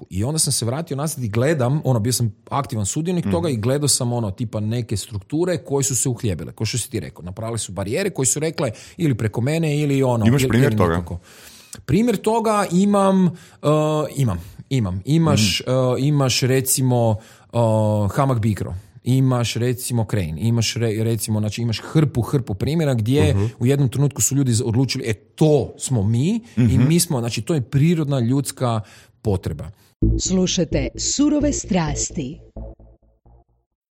I onda sam se vratio nazad i gledam, bio sam aktivan sudionik toga i gledao sam tipa neke strukture koje su se uhljebile, kao što si ti rekao. Napravili su barijere koje su rekle ili preko mene ili Imaš primjer ili toga? nekako. Primjer toga imam. Imaš recimo Hamag Bikro. Imaš recimo Crane, imaš recimo, znači imaš hrpu primjera gdje u jednom trenutku su ljudi odlučili, to smo mi i mi smo, znači to je prirodna ljudska potreba. Slušajte Surove strasti.